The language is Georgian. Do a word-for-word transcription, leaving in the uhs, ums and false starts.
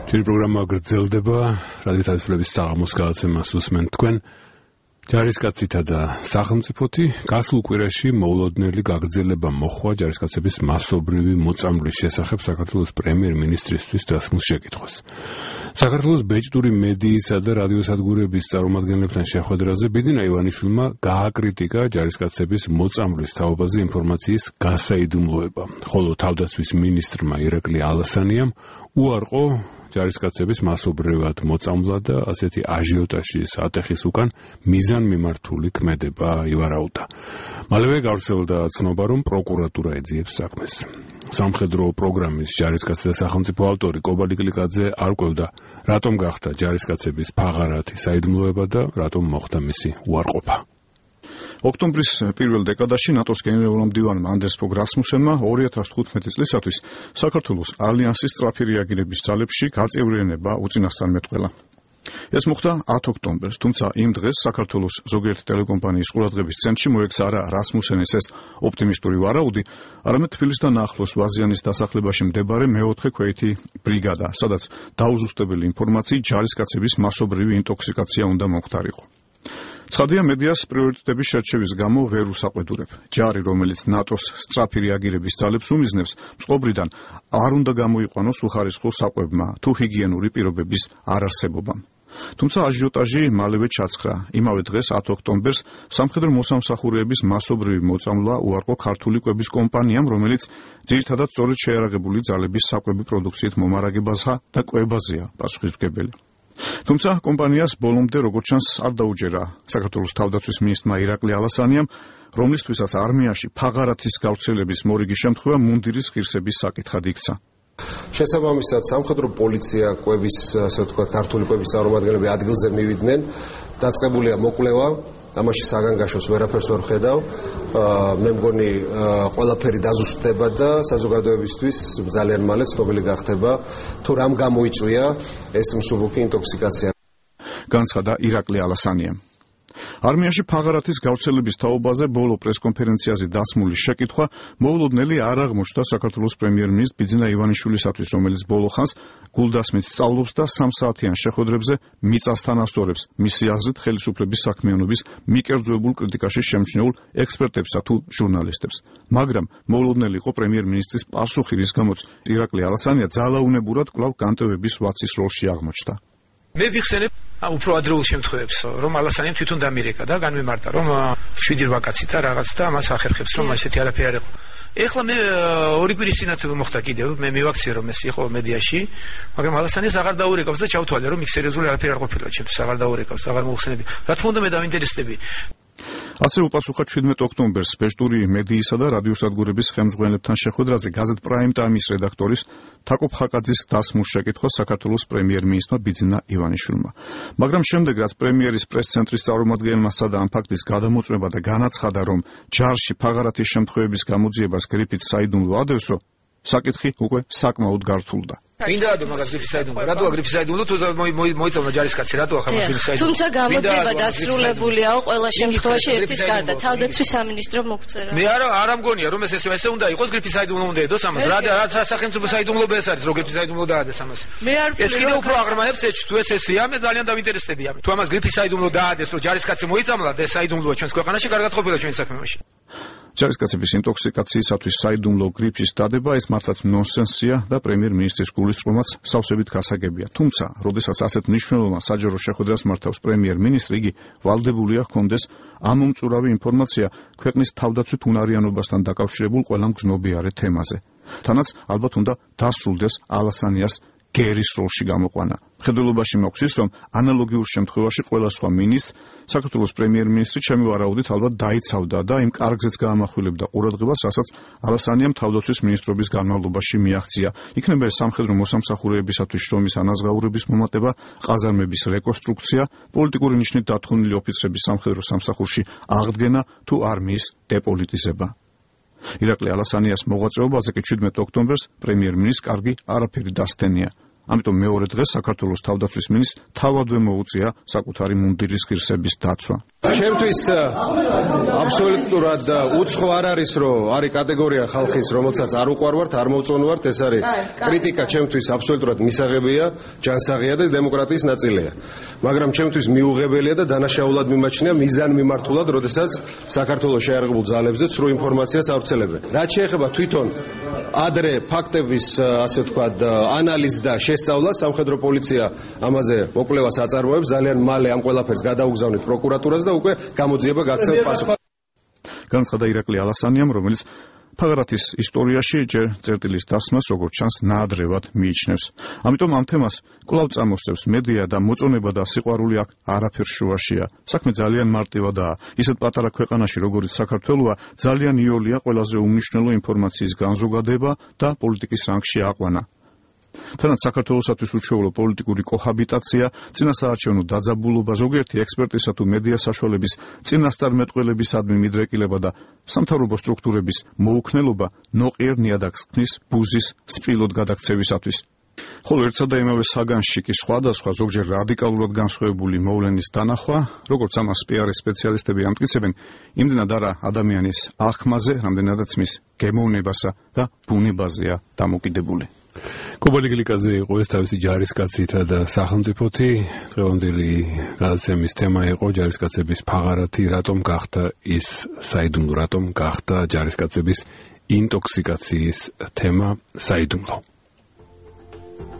ჩვენი პროგრამა გრძელდება, რადიო თავისუფლების საღამოს გადაცემას უსმენთ თქვენ. ჯარისკაცითა და სახელმწიფოთი გასულ კვირაში მოულოდნელი გაგრძელება მოხდა ჯარისკაცების მასობრივი მოწამვლის შესახებ საქართველოს პრემიერ-მინისტრისთვის დასმულ შეკითხვას. საქართველოს ბეჭდური მედიისა და რადიოსადგურების წარმომადგენლებთან შეხვედრაზე ბიძინა ივანიშვილმა გააკრიტიკა ჯარისკაცების მოწამვლის თაობაზე ინფორმაციის გასაიდუმლოება, ხოლო თავდაცვის მინისტრმა ირაკლი ალასანიამ უარყო ჯარისკაცების მასობრივად მოწამვლა და ასეთი აჟიოტაჟის ატეხის უკან მიზანმიმართული ქმედება ივარაუდა. მალევე გავრცელდა ცნობა, რომ პროკურატურა ეძიებს საქმეს. სამხედრო პროგრამის ჯარისკაცთა სახელმწიფო ავტორი კობალი კლიკაძე არ ყვევდა, რატომ გახდა ჯარისკაცების ფაღარათი საიდუმლოება და რატომ მოხდა მისი უარყოფა. ოქტომბრის პირველ დეკადაში ნატოს გენერალურმა მდივანმა ანდერს ფოგ რასმუსენმა ორი ათას თხუთმეტი წლისათვის საქართველოს ალიანსის სწრაფი რეაგირების ძალებში გაწევრიანება უწინასწარ მეტყველა. ეს მოხდა ათ ოქტომბერს, თუმცა იმ დღეს საქართველოს ზოგიერთი ტელეკომპანიის ყურადღების ცენტრში მოექცა არა რასმუსენის ეს ოპტიმისტური ვარაუდი, არამედ თბილისთან ახლოს ვაზიანის დასახლებაში მდებარე მეოთხე ქვეითი ბრიგადა, სადაც დაუზუსტებელი ინფორმაციით ჯარისკაცების მასობრივი ინტოქსიკაცია უნდა მომხდარიყო. ცხადია, მედიას პრიორიტეტების შერჩევის გამო ვერ უსაყვედურებ. ჯარი, რომელიც ნატოს სწრაფი რეაგირების ძალებს უმიზნებს, წყობრიდან არ უნდა გამოიყვანოს უხარისხო საკვებმა თუ ჰიგიენური პირობების არარსებობამ. თუმცა აჟიოტაჟი მალევე ჩაცხრა. იმავე დღეს ათ ოქტომბერს სამხედრო მოსამსახურეების მასობრივი მოწამვლა უარყო ქართული კვების კომპანიამ, რომელიც ძირითადად სწორედ შეიარაღებული ძალების საკვები პროდუქციით მომარაგებასა და კვებაზეა პასუხისმგებელი. თუმცა კომპანიას ბოლომდე როგორც ჩანს არ დაუჯერა საქართველოს თავდაცვის მინისტრმა ირაკლი ალასანიამ, რომლისთვისაც არმიაში ფაღარათის გავრცელების მორიგი შემთხვევა მუნდირის ღირსების საკითხად იქცა. შესაბამისად, სამხედრო პოლიცია კვების, ასე ვთქვათ, ქართული კვების წარმომადგენლები ადგილზე მივიდნენ, დაწყებულია მოკვლევა, ამაში საგანგაშოს ვერაფერს ვერ ხედავ. მე მგონი ყველაფერი დაზუსტდება და საზოგადოებისთვის ძალიან მალე ცნობილი გახდება, თუ რამ გამოიწვია ეს მსუბუქი ინტოქსიკაცია. განცხადა ირაკლი ალასანიამ. არმიაში ფაღარათის გავრცელების თაობაზე ბოლო პრესკონფერენციაზე დასმული შეკითხვა მოულოდნელი არ აღმოჩნდა საქართველოს პრემიერ-მინისტრ ბიძინა ივანიშვილისათვის, რომელიც ბოლო ხანს გულდასმით სწავლობს და სამსაათიან შეხვედრებზე მიწასთან ასწორებს მისი აზრით ხელისუფლების საქმიანობის მიკერძოებულ კრიტიკაში შემჩნეულ ექსპერტებსა თუ ჟურნალისტებს. მაგრამ მოულოდნელი იყო პრემიერ-მინისტრის პასუხი, რის გამოც ირაკლი ალასანია ძალაუნებურად კვლავ განტევების ვაცის როლში აღმოჩნდა. მე ვიხსენებ უფრო ადრეულ შემთხვევებს, რომ ალასანიამ თვითონ დამირეკა და განმემართა, რომ შვიდი რვა კაცი და რაღაც და მას ახერხებს, რომ ესეთი არაფერი არ იყო. ეხლა მე ორი კვირის წინათ მოხდა კიდევ, მე მივაქციე, რომ ეს იყო მედიაში, მაგრამ ალასანიას აღარ დაურეკავს და ჩავთვალე, რომ იქ სერიოზული არაფერი არ ყოფილა, ჩემთვის აღარ დაურეკავს, აღარ მოხსენები. რა თქმა უნდა, მე დავინტერესდები. ასე უპასუხა შვიდმეტი ოქტომბერს ბეჭდური მედიისა და რადიოსადგურების ხელმძღვანელებთან შეხვედრაზე გაზეთ პრაიმ ტაიმის რედაქტორის თაკობ ხაკაძის დასმულ შეკითხვას საქართველოს პრემიერ-მინისტრმა ბიძინა ივანიშვილმა. მაგრამ შემდეგ, რაც პრემიერის პრეს-ცენტრის წარმომადგენელმა სცადა ამ ფაქტის გადამოწმება და განაცხადა, რომ ჯარში ფაღარათის შემთხვევების გამოძიებას გრიფით საიდუმლო ადევსო, საკითხი უკვე საკმაოდ გართულდა. მინდა რომ მაგას გრიფის საიდუმლო, რატოა გრიფის საიდუმლო, თუ მოიწევნა ჯარისკაცი, რატოა ხარ გრიფის საიდუმლო. თუმცა გამოძიება დასრულებულია ყველა შემთხვევაში ერთის გარდა, თავდაცვის სამინისტრო მოგწერა. მე არა არ ამგონია, რომ ეს ესე უნდა იყოს გრიფის საიდუმლო უნდა ედოს ამას. რა რა სახელმწიფო საიდუმლოება ეს არის, რომ გრიფის საიდუმლო დაადეს ამას. მე არ ეს კიდევ უფრო აღრმავებს ეჭვს, თუ ეს ესეა, მე ძალიან დავინტერესდები ამით. თუ ამას გრიფის საიდუმლო დაადეს, რომ ჯარისკაცი მოიწამლა და ეს საიდუმლოა ჩვენს ქვეყანაში, კარგად ყოფილა ჩვენი საქმეში. ჯარისკაცების ინტოქსიკაციისათვის საიდუმლო გრიფის დადება ეს მართლაც ნონსენსია და პრემიერ-მინისტრის გულისწყრომაც სავსებით გასაგებია. თუმცა, როდესაც ასეთ მნიშვნელოვან საჯარო შეხვედრას მართავს პრემიერ-მინისტრი, იგი ვალდებულია ჰქონდეს ამომწურავი ინფორმაცია ქვეყნის თავდაცვით უნარიანობასთან დაკავშირებულ ყველა მგზნობიარე თემაზე. თანაც ალბათ უნდა დასრულდეს ალასანიას გერის როლში გამოყვანა. მხედველობაში მოხსის, რომ ანალოგიურ შემთხვევაში ყველა სხვა მინისტრს საქართველოს პრემიერ-მინისტრი ჩემი ვარაუდით ალბათ დაიცავდა და იმ კარგზეც გაამახვილებდა ყურადღებას, რასაც ალასანიამ თავდაცვის მინისტრობის განმავლობაში მიაღწია. იქნება ეს სამხედრო მოსამსახურეებისათვის შრომის ანაზღაურების მომატება, ყაზარმების რეკონსტრუქცია, პოლიტიკური ნიშნით დათხოვნილი ოფიცრების სამხედრო სამსახურში აღდგენა თუ არმიის დეპოლიტიზება. ირაკლი ალასანიას მოღვაწეობაზე კი შვიდმეტი ოქტომბერს პრემიერ-მინისტრს კარგი არაფერი დასთენია. ამიტომ მეორე დღეს საქართველოს თავდაცვის მინისტრს თავადვე მოუწია საკუთარი მუნდირის ღირსების დაცვა. ჩემთვის აბსოლუტურად უცხო არ არის, რომ არის კატეგორია ხალხის, რომელსაც არ უყვარვართ, არ მოვწონვართ, ეს არის კრიტიკა ჩემთვის აბსოლუტურად მისაღებია, ჯანსაღია და დემოკრატიის ნაწილია. მაგრამ ჩემთვის მიუღებელია და დანაშაულად მიმაჩნია მიზანმიმართულად, როდესაც საქართველოს შეიარაღებულ ძალებზე ცრუ ინფორმაციას ავრცელებენ. რაც შეეხება თვითონ ადრე ფაქტების, ასე ვთქვათ, ანალიზს და შესწავლას, სამხედრო პოლიცია ამაზე მოკვლევას აწარმოებს, ძალიან მალე ამ ყველაფერს გადაუგზავნით პროკურატურას და უკვე გამოძიება გაქცევს პასუხს. განცხადა ირაკლი ალასანიამ, რომელიც ფაღარათის ისტორიაში ჯერ წერტილის დასმას, როგორც ჩანს, ნაადრევად მიიჩნევს. ამიტომ ამ თემას კვლავ წამოსწევს მედია და მოწონება და სიყვარული აქ არაფერ შუაშია. საქმე ძალიან მარტივადაა. ისეთ პატარა ქვეყანაში, როგორც საქართველოა, ძალიან იოლია ყველაზე უმნიშვნელო ინფორმაციის განზოგადება და პოლიტიკის რანგში აყვანა. თანაც საქართველოსათვის უჩვეულო პოლიტიკური კოჰაბიტაცია, წინასაარჩევნო დაძაბულობა, ზოგიერთი ექსპერტისა თუ მედია საშუალების წინასწარმეტყველებისადმი მიდრეკილება და სამთავრობო სტრუქტურების მოუქნელობა ნოყიერ ნიადაგს ქმნის ბუზის სპილოდ გადაქცევისათვის. ხოლო ერთსა და იმავე საგანში კი სხვადასხვა ზოგჯერ რადიკალურად განსხვავებული მოვლენის დანახვა, როგორც ამას პიარის სპეციალისტები ამტკიცებენ, იმდენად არა ადამიანის აღქმაზე, რამდენადაც მის გემოვნებასა და ბუნებაზეა დამოკიდებული. კობალი გლიკაძე იყო ეს თავისი ჯარისკაცითა და სახელმწიფოთი. დღევანდელი გადაცემის თემა იყო ჯარისკაცების ფაღარათი, რატომ გახდა ის საიდუმლო, რატომ გახდა ჯარისკაცების ინტოქსიკაციის თემა საიდუმლო.